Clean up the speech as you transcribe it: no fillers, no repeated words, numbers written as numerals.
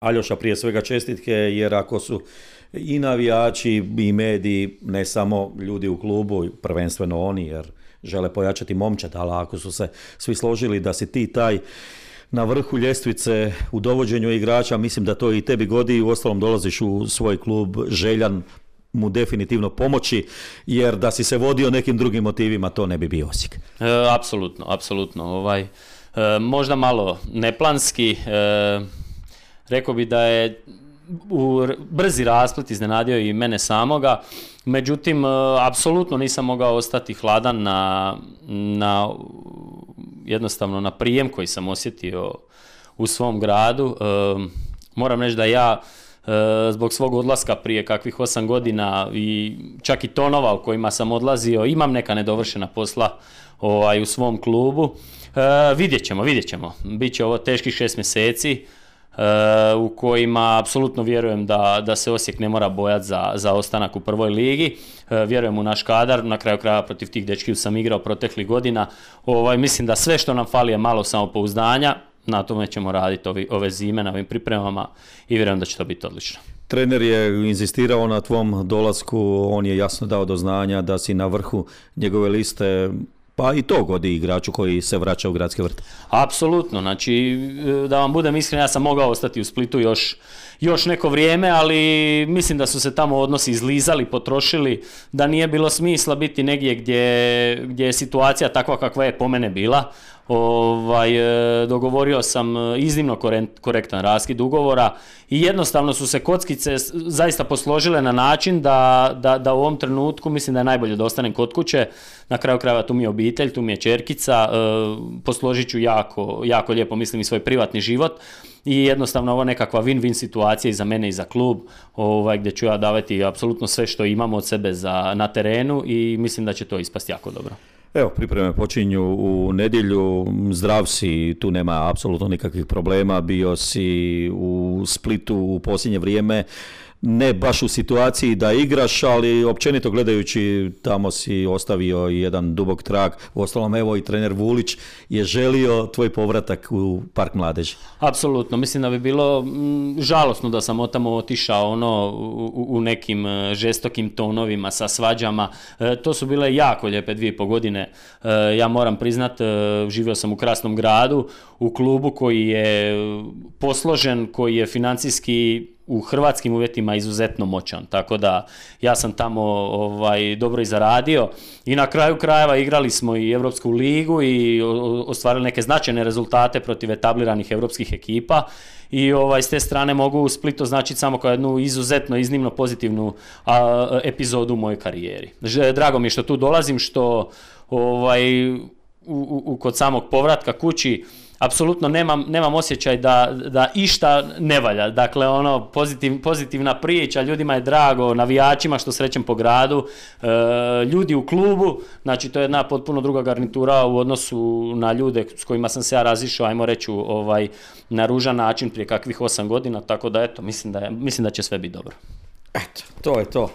Aljoša, prije svega čestitke, jer ako su i navijači i mediji, ne samo ljudi u klubu, prvenstveno oni, jer žele pojačati momčad, ali ako su se svi složili da si ti taj na vrhu ljestvice u dovođenju igrača, mislim da to i tebi godi i uostalom dolaziš u svoj klub željan mu definitivno pomoći, jer da si se vodio nekim drugim motivima, to ne bi bio Osijek. Apsolutno. Možda malo neplanski, rekao bi da je brzi rasplet iznenadio i mene samoga, međutim, apsolutno nisam mogao ostati hladan na jednostavno na prijem koji sam osjetio u svom gradu. Moram reći da ja zbog svog odlaska prije kakvih 8 godina i čak i tonova u kojima sam odlazio, imam neka nedovršena posla u svom klubu. Vidjet ćemo. Biće ovo teških 6 mjeseci u kojima apsolutno vjerujem da se Osijek ne mora bojati za ostanak u prvoj ligi. Vjerujem u naš kadar, na kraju kraja protiv tih dečkiju sam igrao proteklih godina. Mislim da sve što nam fali je malo samopouzdanja, na tome ćemo raditi ove zime na ovim pripremama i vjerujem da će to biti odlično. Trener je inzistirao na tvom dolasku, on je jasno dao do znanja da si na vrhu njegove liste, pa i to godi igraču koji se vraća u Gradski vrt. Apsolutno, znači da vam budem iskren, ja sam mogao ostati u Splitu još neko vrijeme, ali mislim da su se tamo odnosi izlizali, potrošili, da nije bilo smisla biti negdje gdje je situacija takva kakva je po mene bila. Dogovorio sam iznimno korektan raskid ugovora i jednostavno su se kockice zaista posložile na način da u ovom trenutku mislim da je najbolje da ostanem kod kuće. Na kraju krajeva tu mi je obitelj, tu mi je ćerkica, posložit ću jako lijepo mislim i svoj privatni život i jednostavno ovo nekakva win-win situacija i za mene i za klub, gdje ću ja davati apsolutno sve što imam od sebe na terenu i mislim da će to ispasti jako dobro. Evo, pripreme počinju u nedjelju, zdrav si, tu nema apsolutno nikakvih problema, bio si u Splitu u posljednje vrijeme, ne baš u situaciji da igraš, ali općenito gledajući tamo si ostavio jedan dubok trag. Uostalom, evo i trener Vulić je želio tvoj povratak u Park mladeži. Apsolutno, mislim da bi bilo žalosno da sam tamo otišao u nekim žestokim tonovima sa svađama. To su bile jako lijepe 2,5 godine. Ja moram priznat, živio sam u krasnom gradu, u klubu koji je posložen, koji je financijski u hrvatskim uvjetima izuzetno moćan, tako da ja sam tamo dobro i zaradio i na kraju krajeva igrali smo i Europsku ligu i ostvarili neke značajne rezultate protiv etabliranih europskih ekipa i s te strane mogu Split označiti samo kao jednu iznimno pozitivnu epizodu u mojoj karijeri. Drago mi je što tu dolazim, što kod samog povratka kući apsolutno nemam osjećaj da išta ne valja. Dakle, pozitivna priča, ljudima je drago, navijačima što srećem po gradu, ljudi u klubu, znači to je jedna potpuno druga garnitura u odnosu na ljude s kojima sam se ja razišao, ajmo reći, na ružan način prije kakvih 8 godina, tako da eto, mislim da će sve biti dobro. Eto, to je to.